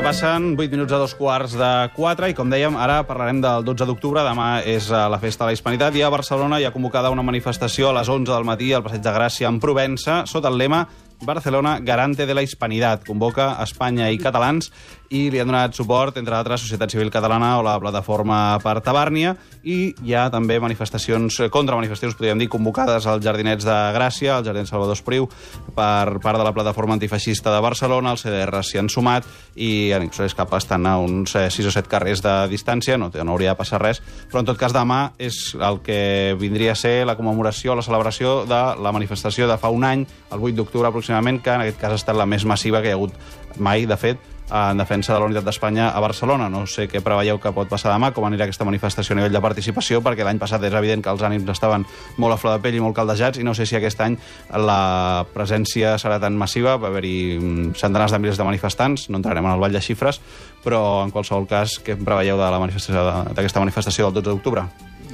Passen 8 minuts a 3:45 i, com dèiem, ara parlarem del 12 d'octubre. Demà és la festa de la Hispanitat i a Barcelona hi ha convocada una manifestació a les 11 del matí al Passeig de Gràcia en Provença sota el lema Barcelona garante de la hispanidad. Convoca Espanya i catalans i li han donat suport, entre altres, Societat Civil Catalana o la Plataforma per Tabàrnia, i hi ha també manifestacions, contramanifestacions, podríem dir, convocades als Jardinets de Gràcia, al Jardí Salvador Espriu, per part de la Plataforma Antifeixista de Barcelona. Els CDR s'hi han sumat i en Ipsos Escapa estan a uns 6 o 7 carrers de distància, no hauria de passar res, però en tot cas demà és el que vindria a ser la commemoració, la celebració de la manifestació de fa un any, el 8 d'octubre aproximadament, que en aquest cas ha estat la més massiva que hi ha hagut mai, de fet, en defensa de la unitat d'Espanya a Barcelona. No sé què preveieu que pot passar demà, com anirà aquesta manifestació a nivell de participació, perquè l'any passat és evident que els ànims estaven molt a flor de pell i molt caldejats, i no sé si aquest any la presència serà tan massiva. Va haver-hi centenars de milers de manifestants, no entrarem en el ball de xifres, però en qualsevol cas, què preveieu de la manifestació d'aquesta manifestació del 12 d'octubre?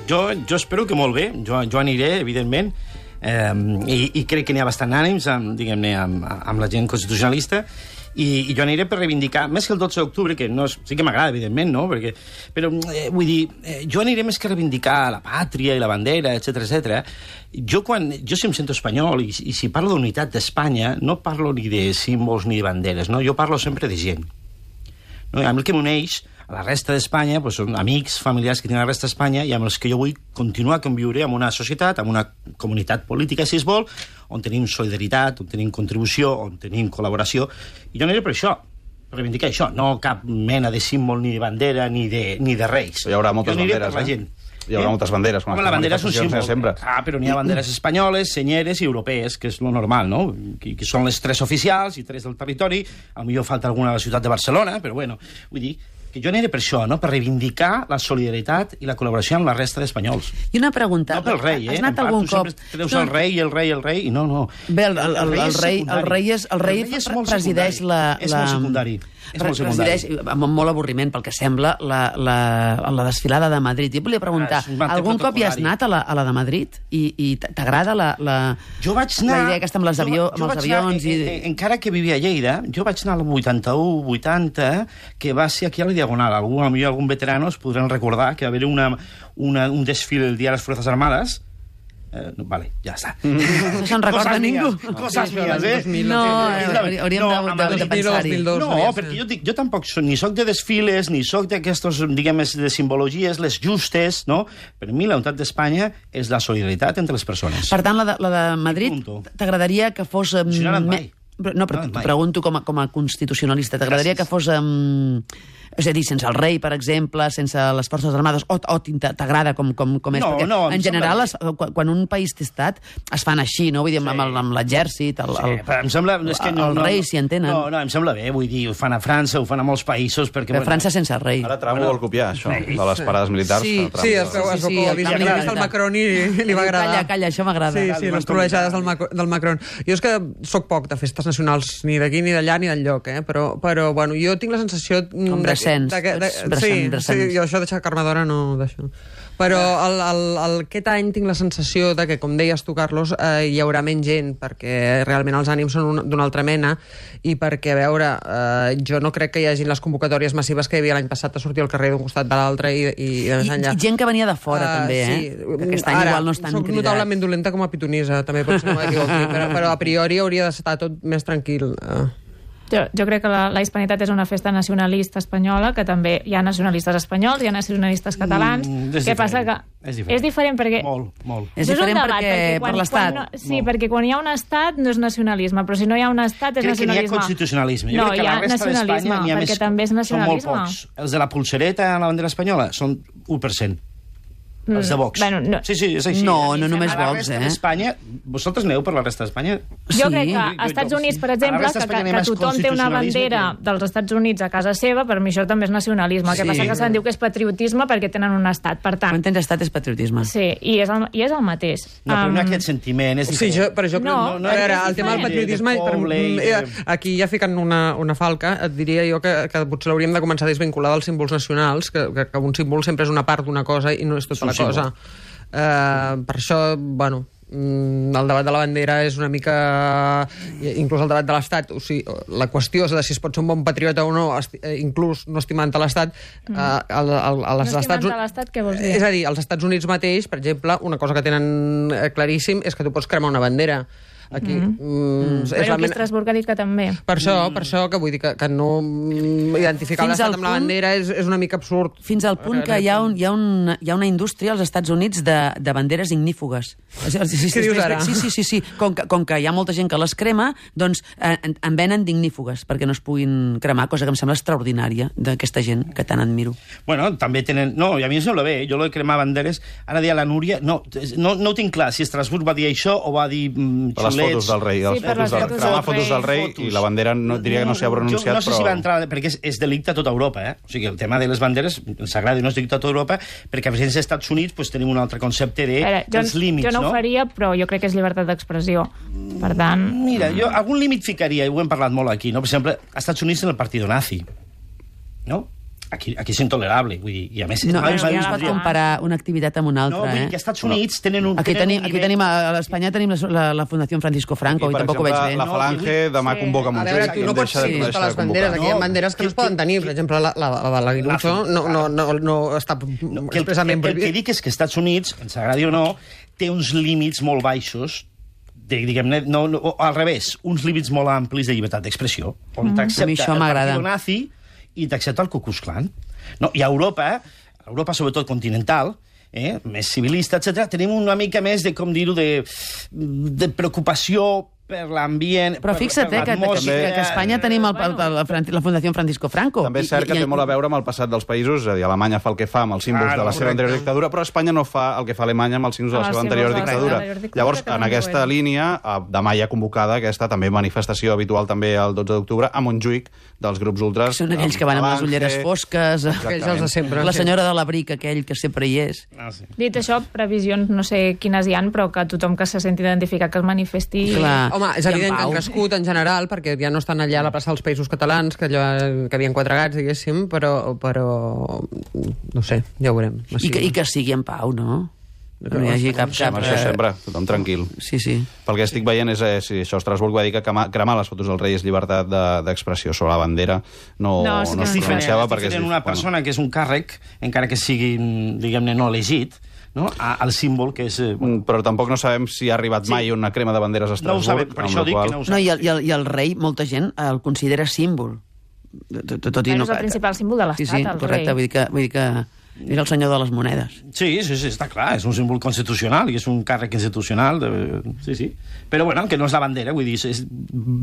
Jo espero que molt bé, jo aniré, evidentment, i crec que n'hi ha bastant ànims, diguem-ne, amb la gent constitucionalista, i jo aniré per reivindicar, més que el 12 d'octubre, que no, sí que m'agrada, evidentment, no? Però vull dir, jo aniré més que reivindicar la pàtria i la bandera, etc. Jo si em sento espanyol i si parlo d'unitat d'Espanya, no parlo ni de símbols ni de banderes, no? Jo parlo sempre de gent. No? Amb el que m'uneix a la resta d'Espanya són amics, familiars que tenen a la resta d'Espanya i amb els que jo vull continuar a conviure en una societat, en una comunitat política, si es vol, on tenim solidaritat, on tenim contribució, on tenim col·laboració. I jo aniré per això, per reivindicar això, no cap mena de símbol, ni de bandera, ni de res. Hi haurà moltes banderes, per la gent. Hi haurà moltes banderes. La bandera és un símbol. Però n'hi ha banderes espanyoles, senyeres i europees, que és lo normal, no? Que són les 3 oficials i 3 del territori. Potser falta alguna a la ciutat de Barcelona, però bueno, vull dir que jo aniré per això, no? Per reivindicar la solidaritat i la col·laboració amb la resta d'espanyols. I una pregunta. No pel rei, Has anat algun cop... Tu sempre treus el rei, i no. Bé, el rei presideix la... És molt secundari. Presideix, amb molt avorriment, pel que sembla, la desfilada de Madrid. Jo volia preguntar, algun cop hi has anat a la de Madrid? I t'agrada la idea aquesta amb els avions? Encara que vivia a Lleida, jo vaig anar al 81, 80, que va ser aquí a la Diagonal. Algun veterano es podran recordar que va haver un desfile el dia de les Fuerzas Armadas. Vale, ja està. No se'n recorda ningú. Coses mías, No, hauríem de pensar-hi. No, perquè jo tampoc ni soc de desfiles, ni soc d'aquestos, diguem, de simbologies, les justes, no? Per mi la unitat d'Espanya és la solidaritat entre les persones. Per tant, la de Madrid t'agradaria que fos... Si no ha anat mai. No, però t'ho pregunto com a constitucionalista. T'agradaria que fos... És a dir, sense el rei, per exemple, sense les Forces Armades, o t'agrada com és? No, en general, quan un país té estat, es fan així, no? Vull dir, amb l'exèrcit, em sembla... El rei s'hi entenen. No, em sembla bé, vull dir, ho fan a França, ho fan a molts països, perquè... Però França sense rei. Ara Trump ho vol copiar, això, de les parades militars. Sí, es veu el Macron i li va agradar. Calla, això m'agrada. Sí, les trolejades del Macron. Jo és que soc poc de festes nacionals, ni d'aquí, ni d'allà, ni d'enlloc, però, bueno, jo tinc la sensació... Com Brassens. Sí, jo això de Carme d'Hora no d'això. Però aquest any tinc la sensació de que, com deies tu, Carlos, hi haurà menys gent, perquè realment els ànims són d'una altra mena, i perquè, a veure, jo no crec que hi hagi les convocatòries massives que hi havia l'any passat a sortir al carrer d'un costat de l'altre i de més enllà. I gent que venia de fora, també, Aquest any igual no estan cridats. Soc notablement dolenta com a pitonisa, també pot ser que m'equivoqui, però a priori hauria d'estar tot més tranquil. Jo crec que la hispanitat és una festa nacionalista espanyola, que també hi ha nacionalistes espanyols, hi ha nacionalistes catalans. Què passa? Que és diferent perquè... Molt. És diferent per l'Estat. Sí, perquè quan hi ha un Estat no és nacionalisme, però si no hi ha un Estat és nacionalisme. Crec que n'hi ha constitucionalisme. No, hi ha nacionalisme, perquè també és nacionalisme. Són molt pocs. Els de la pulsereta a la bandera espanyola són 1%. Els de Vox. Sí, és així. No només Vox, A la resta d'Espanya... Vosaltres aneu per la resta d'Espanya? Jo crec que als Estats Units, per exemple, que tothom té una bandera dels Estats Units a casa seva, per mi això també és nacionalisme. El que passa que se'n diu que és patriotisme perquè tenen un estat, per tant... Quan tens estat és patriotisme. Sí, i és el mateix. No, però no aquest sentiment és diferent. Sí, però jo crec... A veure, el tema del patriotisme... Aquí ja ficant una falca, et diria jo que potser l'hauríem de començar a desvincular dels símbols nacionals, que un símbol sempre és una part d'una cosa i no és tota la cosa. Per això, bueno, el debat de la bandera és una mica... Inclús el debat de l'Estat, o sigui, la qüestió de si es pot ser un bon patriota o no, inclús no estimant l'Estat... No estimant l'Estat, què vols dir? És a dir, als Estats Units mateix, per exemple, una cosa que tenen claríssim és que tu pots cremar una bandera. Aquí, però aquí Estrasburg ha dit que també. Per això que vull dir que no identificar l'Estat amb la bandera és una mica absurd. Fins al punt que hi ha una indústria als Estats Units de banderes ignífugues. Què dius ara? Sí. Com que hi ha molta gent que les crema, doncs en venen d'ignífugues perquè no es puguin cremar, cosa que em sembla extraordinària d'aquesta gent que tant admiro. Bueno, també tenen... No, i a mi em sembla bé, jo lo de cremar banderes... Ara deia la Núria... No ho tinc clar, si Estrasburg va dir això o va dir... Les fotos del rei, cremar fotos del rei i la bandera diria que no s'hi ha pronunciat, però... No sé si va entrar, perquè és delicte a tota Europa, O sigui, el tema de les banderes ens agrada i no és delicte a tota Europa, perquè a presència dels Estats Units tenim un altre concepte dels límits, no? Jo no ho faria, però jo crec que és llibertat d'expressió. Per tant... Mira, jo algun límit ficaria, i ho hem parlat molt aquí, no? Per exemple, als Estats Units en el partido nazi, no? Aquí és intolerable, vull dir, i a més... No es pot comparar una activitat amb una altra, No, vull dir que als Estats Units tenen un... Aquí tenim, a Espanya tenim la Fundació Francisco Franco, i tampoc ho veig bé. La Falange demà convoca Montjuïc. Tu no pots tenir totes les banderes, aquí hi ha banderes que no es poden tenir, per exemple, la Guilucho no està expressament prohibit. El que dic és que als Estats Units, ens agradi o no, té uns límits molt baixos, diguem-ne, al revés, uns límits molt amplis de llibertat d'expressió, on t'accepta el partido nazi i t'accepta el Ku Klux Klan. No, i a Europa, sobretot continental, més civilista, etc., tenim una mica més de, com dir-ho, de preocupació per l'ambient... Però fixa't que a Espanya tenim la Fundació Francisco Franco. També és cert que té molt a veure amb el passat dels països, és a dir, Alemanya fa el que fa amb els símbols de la seva anterior dictadura, però Espanya no fa el que fa Alemanya amb els símbols de la seva anterior dictadura. Llavors, en aquesta línia, demà hi ha convocada aquesta també manifestació habitual també el 12 d'octubre a Montjuïc dels grups ultras. Són aquells que van amb les ulleres fosques, la senyora de l'abric, aquell que sempre hi és. Dit això, previsions no sé quines hi ha, però que tothom que se senti identificat que es manifesti... Home, és evident que han crescut en general, perquè ja no estan allà a la plaça dels Països Catalans, que havien 4 gats, diguéssim, però no sé, ja ho veurem. I que sigui en pau, no? Que no hi hagi cap... Això sempre, tothom tranquil. Sí. Pel que estic veient és si això Estrasburg va dir que cremar les fotos del rei és llibertat d'expressió sobre la bandera, no es pronunciava perquè... Tenen una persona que és un càrrec, encara que sigui, diguem-ne, no elegit, no? Al símbol que és... Però tampoc no sabem si ha arribat mai una crema de banderes a Estrasburg. No ho sabem, per això dic que no ho sabem. I el rei, molta gent el considera símbol. És el principal símbol de l'Estat, el rei. Correcte, vull dir que és el senyor de les monedes. Sí, està clar, és un símbol constitucional i és un càrrec institucional. Sí. Però, bueno, que no és la bandera, vull dir,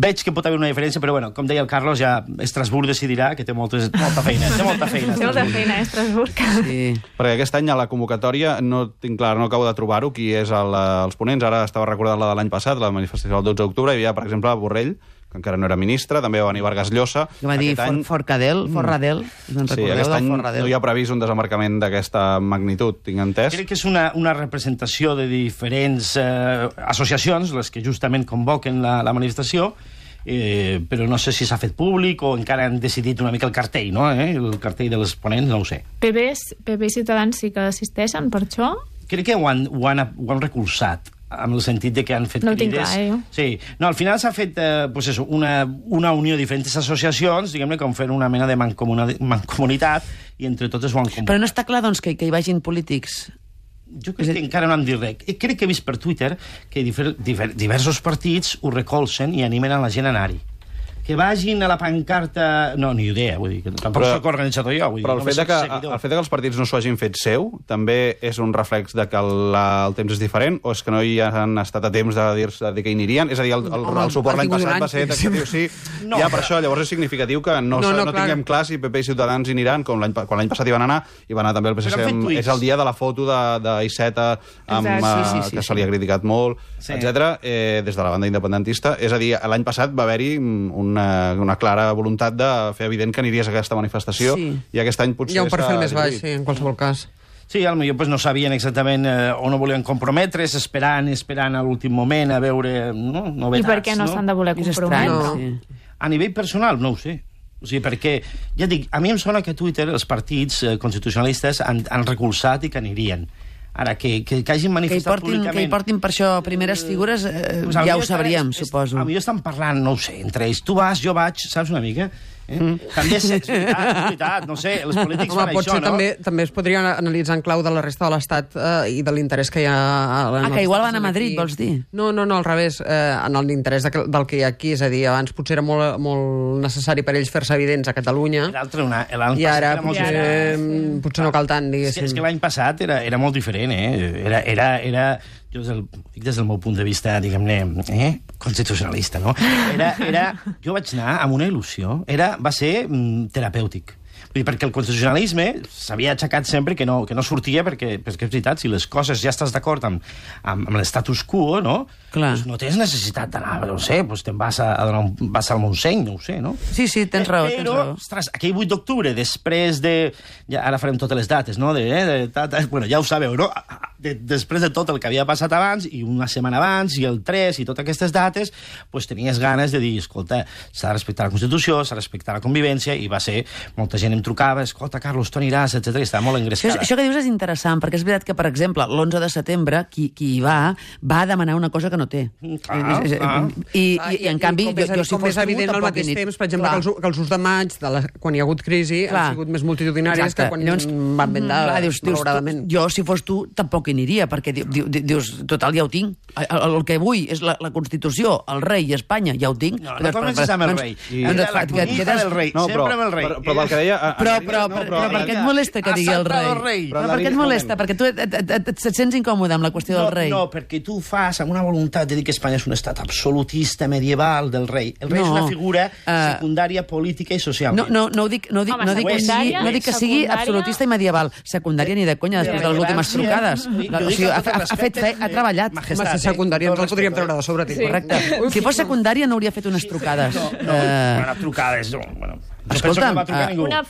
veig que pot haver una diferència, però, bueno, com deia el Carlos, ja Estrasburg decidirà que té molta feina. Té molta feina, Estrasburg. Sí. Perquè aquest any a la convocatòria no tinc clar, no acabo de trobar-ho, qui és els ponents. Ara estava recordant la de l'any passat, la manifestació del 12 d'octubre, hi havia, per exemple, Borrell, que encara no era ministre, també va venir Vargas Llosa. Que va dir Forradell, sí, aquest any no hi ha previst un desembarcament d'aquesta magnitud, tinc entès. Crec que és una representació de diferents associacions, les que justament convoquen la manifestació, però no sé si s'ha fet públic o encara han decidit una mica el cartell, no? El cartell dels ponents, no ho sé. PP i Ciutadans sí que assisteixen per això? Crec que ho han recolzat, amb el sentit de que han fet crides... No ho tinc clar, jo. Sí. No, al final s'ha fet una unió de diferents associacions, diguem-ne, com fer una mena de mancomunitat, i entre totes ho han convocat. Però no està clar, doncs, que hi vagin polítics? Jo crec que encara no han dit res. Crec que he vist per Twitter que diversos partits ho recolzen i animen a la gent a anar-hi. Que vagin a la pancarta... No, ni idea, vull dir, que tampoc soc organitzador jo. Però el fet que els partits no s'ho hagin fet seu també és un reflex de que el temps és diferent, o és que no hi han estat a temps de dir-se que hi anirien? És a dir, el suport l'any passat va ser taxatiu, sí. Ja, per això, llavors és significatiu que no tinguem clar si PP i Ciutadans hi aniran, quan l'any passat hi van anar, i va anar també el PSC. És el dia de la foto d'Iceta, que se li ha criticat molt, etc. Des de la banda independentista. És a dir, l'any passat va haver-hi una clara voluntat de fer evident que aniries a aquesta manifestació, i aquest any potser... Hi ha un perfil més baix, sí, en qualsevol cas. Sí, potser no sabien exactament o no volien comprometre's, esperant a l'últim moment a veure novetats. I per què no s'han de voler comprometre? A nivell personal, no ho sé. O sigui, perquè, ja dic, a mi em sona que a Twitter els partits constitucionalistes han recolzat i que anirien. Ara, que hagin manifestat públicament... Que hi portin per això primeres figures, ja ho sabríem, suposo. A millor estan parlant, no ho sé, entre ells. Tu vas, jo vaig, saps una mica? També és veritat, no sé, els polítics fan això, no? També es podria analitzar en clau de la resta de l'Estat i de l'interès que hi ha... que igual van a Madrid, vols dir? No, al revés, en l'interès del que hi ha aquí, és a dir, abans potser era molt necessari per ells fer-se evidents a Catalunya, i ara potser no cal tant, diguéssim. És que l'any passat era molt diferent, jo dic des del meu punt de vista, diguem-ne, constitucionalista, no? Jo vaig anar amb una il·lusió, va ser terapèutic. Vull dir, perquè el constitucionalisme s'havia aixecat sempre que no sortia, perquè és veritat, si les coses ja estàs d'acord amb l'estatus quo, no? Pues no tens necessitat d'anar, no sé, pues te'n vas a donar vas al Montseny, no ho sé, no? Sí, tens raó, Però, ostres, aquell 8 d'octubre, després de... Ara farem totes les dates, no? Bueno, ja ho sabeu, no? Després de tot el que havia passat abans, i una setmana abans, i el 3, i totes aquestes dates, pues tenies ganes de dir, escolta, s'ha de respectar la Constitució, s'ha de respectar la convivència, i va ser... Molta gent em trucava, escolta, Carlos, tu aniràs, etc. I estava molt engrescada. Això que dius és interessant, perquè és veritat que, per exemple, l'11 de setembre, qui hi va demanar una cosa que no té. I en canvi, jo si fos tu, és evident al mateix temps, per exemple, que els 1 de maig, quan hi ha hagut crisi, han sigut més multitudinaris que quan van vendre, malauradament. Jo, si fos tu, tampoc hi aniria, perquè dius, total, ja ho tinc. El que vull és la Constitució, el rei i Espanya, ja ho tinc. No comences amb el rei. La conyita del rei, sempre amb el rei. Però pel que deia... Però per què et molesta que digui el rei? Però per què et molesta? Perquè tu et sents incòmode amb la qüestió del rei. No, perquè tu fas amb una voluntat de dir que Espanya és un estat absolutista medieval del rei. El rei és una figura secundària política i social. No dic que sigui absolutista i medieval. Secundària ni de conya, després de les últimes trucades. Ha treballat. Massa secundària, ens el podríem treure de sobre. Correcte. Si fos secundària no hauria fet unes trucades. No, trucades, no. Escolta'm,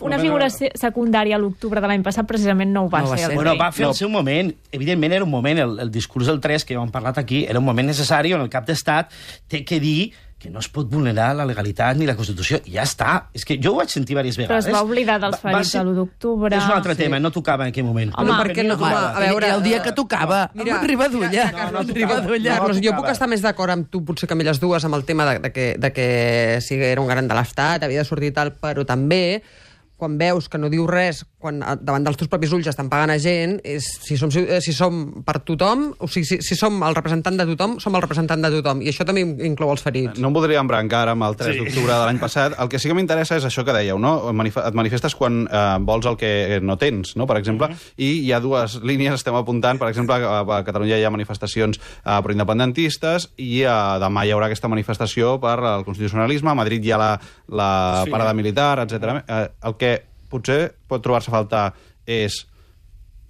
una figura secundària a l'octubre de l'any passat precisament no ho va ser. Bueno, va fer el seu moment. Evidentment era un moment, el discurs del 3 que ja hem parlat aquí, era un moment necessari on el cap d'estat té que dir que no es pot vulnerar la legalitat ni la Constitució, i ja està. És que jo ho vaig sentir diverses vegades. Però es va oblidar dels ferits de l'1 d'octubre. És un altre tema, no tocava en aquell moment. Home, perquè no, a veure, el dia que tocava, amb Ribadulla. Jo puc estar més d'acord amb tu, potser que amb elles dues, amb el tema de que sí, era un garant de l'Estat, havia de sortir i tal, però també quan veus que no diu res, quan davant dels teus propis ulls estan pagant a gent, si som per tothom, o sigui, si som el representant de tothom, som el representant de tothom, i això també inclou els ferits. No em voldria embrancar amb el 3 d'octubre de l'any passat. El que sí que m'interessa és això que dèieu, no? Et manifestes quan vols el que no tens, no? Per exemple, i hi ha dues línies, estem apuntant, per exemple, a Catalunya hi ha manifestacions pro-independentistes, i demà hi haurà aquesta manifestació per al constitucionalisme, a Madrid hi ha la parada militar, etc. El que potser pot trobar-se a faltar és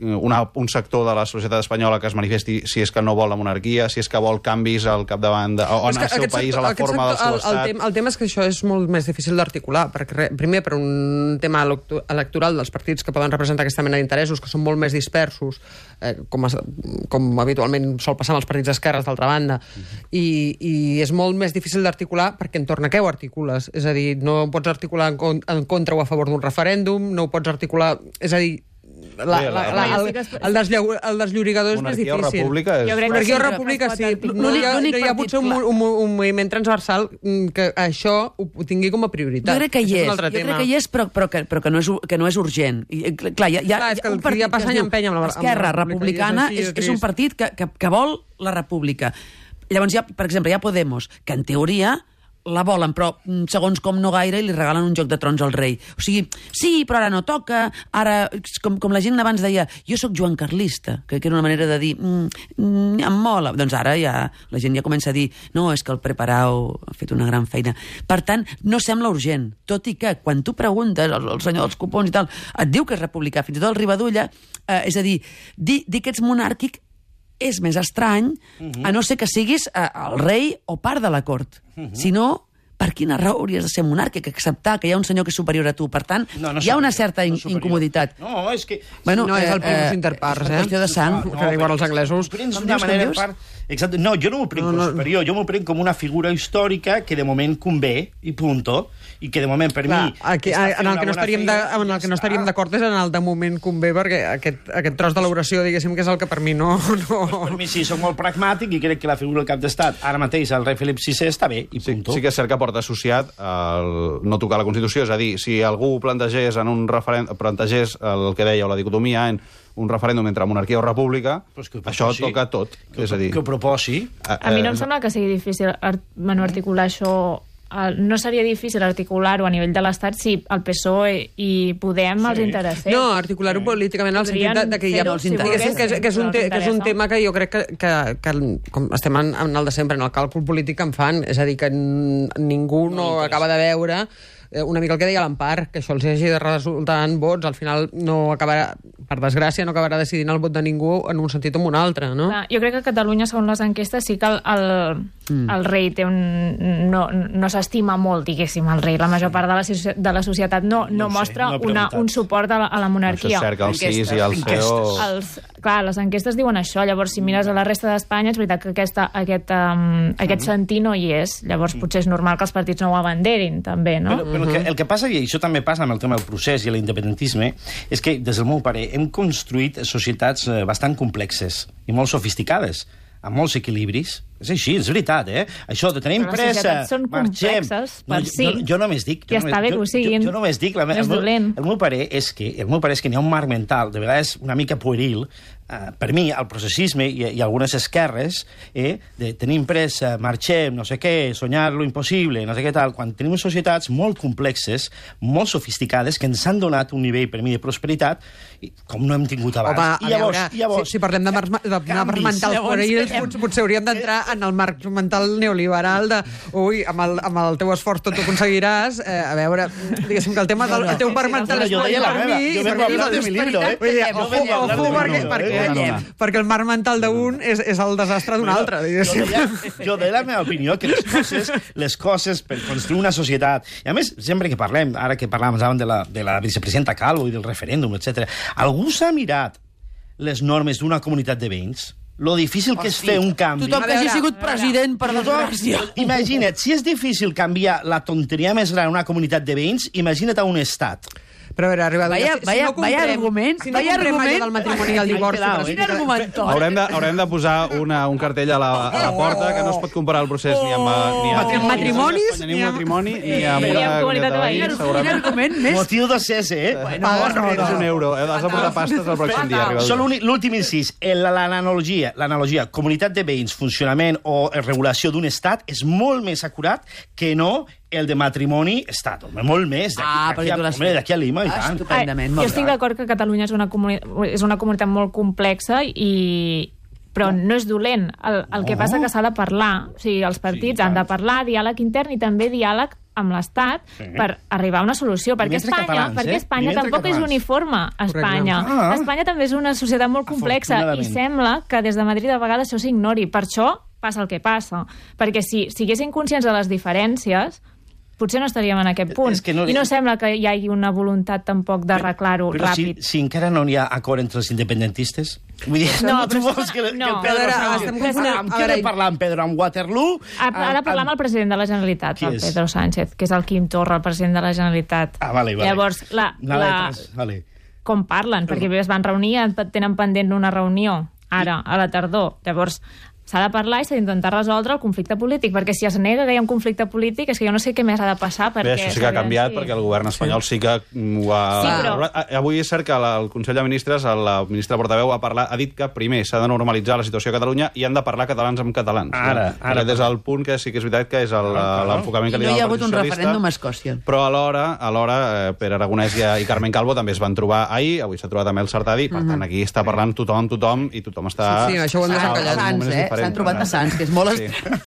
un sector de la societat espanyola que es manifesti si és que no vol la monarquia, si és que vol canvis al capdavant o en el seu país, a la forma del seu estat. El tema és que això és molt més difícil d'articular, perquè primer per un tema electoral dels partits que poden representar aquesta mena d'interessos, que són molt més dispersos, com habitualment sol passar amb els partits d'esquerres, d'altra banda, i és molt més difícil d'articular perquè entorn a què ho articules? És a dir, no pots articular en contra o a favor d'un referèndum, no ho pots articular... És a dir, el desllorigador és més difícil. Monarquia o república és... Monarquia o república, sí. No hi ha potser un moviment transversal que això ho tingui com a prioritat. Jo crec que hi és, però que no és urgent. Clar, és que el que ja passa any empeny amb la Esquerra Republicana és un partit que vol la república. Llavors, per exemple, hi ha Podemos, que en teoria la volen, però segons com no gaire, i li regalen un joc de trons al rei. O sigui, sí, però ara no toca, ara, com la gent abans deia, jo sóc Joan Carlista, que era una manera de dir, em mola. Doncs ara ja la gent ja comença a dir, no, és que el Preparau ha fet una gran feina. Per tant, no sembla urgent, tot i que quan tu preguntes, el senyor dels cupons i tal, et diu que és republicà, fins i tot el Ribadulla, és a dir, dir que ets monàrquic és més estrany, a no ser que siguis el rei o part de la cort. Si no, per quina raó hauries de ser monàrquic? Acceptar que hi ha un senyor que és superior a tu. Per tant, hi ha una certa incomoditat. No, és que... No és el primus inter pares, és qüestió de sang. Que igual els anglesos... Exacte. No, jo no m'ho prenc com superior, jo m'ho prenc com una figura històrica que de moment convé, i punto, i que de moment per mi... En el que no estaríem d'acord és en el de moment convé, perquè aquest tros de l'oració, diguéssim, que és el que per mi no... Per mi sí, soc molt pragmàtic i crec que la figura del cap d'estat, ara mateix el rei Felip VI, està bé, i punto. Sí que és cert que porta associat no tocar la Constitució, és a dir, si algú plantegés en un referèndum, plantegés el que dèieu, la dicotomia en un referèndum entre monarquia o república, això toca tot. És a dir, que ho proposi. A mi no em sembla que sigui difícil articular això. No seria difícil articular-ho a nivell de l'Estat si el PSOE i Podem els interessés. No, articular-ho políticament en el sentit que hi ha molts interessos. Que és un tema que jo crec que com estem en el de sempre, en el càlcul polític que en fan, és a dir, que ningú no acaba de veure una mica el que deia l'Empar, que això els hagi de resultar en vots, al final no acabarà, per desgràcia, no acabarà decidint el vot de ningú en un sentit o en un altre, no? Jo crec que a Catalunya, segons les enquestes, sí que el rei té no s'estima molt, diguéssim, el rei. La major part de la societat no mostra un suport a la monarquia. Això és cert que el CIS i el CEO... Clar, les enquestes diuen això. Llavors, si mires a la resta d'Espanya, és veritat que aquest sentir no hi és. Llavors, potser és normal que els partits no ho abanderin, també, no? Però el que passa, i això també passa amb el tema del procés i l'independentisme, és que, des del meu parer, hem construït societats bastant complexes i molt sofisticades, amb molts equilibris. És així, és veritat, Això de tenim pressa, marxem... Les societats són complexes, per si. Jo només dic... Ja està bé que ho siguin. Jo només dic... El meu parer és que n'hi ha un marc mental, de vegades una mica pueril, per mi, el processisme i algunes esquerres, de tenim pressa, marxem, no sé què, soñar lo impossible, no sé què tal, quan tenim societats molt complexes, molt sofisticades, que ens han donat un nivell, per mi, de prosperitat, com no hem tingut abans. Home, llavors, si parlem de marcs mentals puerils, potser hauríem d'entrar en el marc mental neoliberal de, amb el teu esforç tot ho aconseguiràs, a veure, diguéssim que el tema del teu marc mental és per mi... Jo vengo a hablar de mi libro, perquè el marc mental d'un és el desastre d'un altre, diguéssim. Jo de la meva opinió que les coses per construir una societat, i a més, sempre que parlem, ara que parlàvem de la vicepresidenta Calvo i del referèndum, etc., algú s'ha mirat les normes d'una comunitat de veïns? Lo difícil que és fer un canvi. Tothom que hagi sigut president, per desgràcia. Imagina't, si és difícil canviar la tonteria més gran en una comunitat de veïns, imagina't a un estat. Però a veure, vaya argument. Si no comprem allò del matrimoni i el divorci... Haurem de posar un cartell a la porta que no es pot comparar el procés ni amb matrimonis, ni amb matrimoni, ni amb una comunitat de veïns, segurament. Motiu de cese, És un euro. Has de posar pastes el pròxim dia. Solo l'últim incís. L'analogia comunitat de veïns, funcionament o regulació d'un estat és molt més acurat que no el de matrimoni estat, molt més. D'aquí a Lima, i tant. Estupendament. Jo estic d'acord que Catalunya és una comunitat molt complexa però no és dolent. El que passa que s'ha de parlar. O sigui, els partits han de parlar, diàleg intern i també diàleg amb l'Estat per arribar a una solució. Perquè Espanya tampoc és uniforme. Espanya també és una societat molt complexa i sembla que des de Madrid a vegades això s'ignori. Per això passa el que passa. Perquè si siguessin conscients de les diferències, potser no estaríem en aquest punt. I no sembla que hi hagi una voluntat tampoc d'arreglar-ho ràpid. Però si encara no hi ha acord entre els independentistes? Vull dir, tu vols que el Pedro Sánchez... Amb què ha de parlar en Pedro? Amb Waterloo? Ha de parlar amb el president de la Generalitat, el Pedro Sánchez, que és el Quim Torra, el president de la Generalitat. Vale. Llavors, com parlen? Perquè es van reunir, tenen pendent una reunió, ara, a la tardor. Llavors, s'ha de parlar i s'ha d'intentar resoldre el conflicte polític, perquè si es nega que hi ha un conflicte polític és que jo no sé què més ha de passar. Bé, això sí que ha canviat, perquè el govern espanyol sí que ho ha... Avui és cert que el Consell de Ministres, la ministra portaveu, ha dit que primer s'ha de normalitzar la situació a Catalunya i han de parlar catalans amb catalans. Ara. Des del punt que sí que és veritat que és l'enfocament que li no dona hi ha el hagut un referèndum a Escòcia. Però alhora Pere Aragonès i Carmen Calvo també es van trobar ahir, avui s'ha trobat amb el Sartadi, per tant aquí està parlant tothom i tothom està... Sí, això ho hem desencallat. S'han trobat a Sants, que és molt...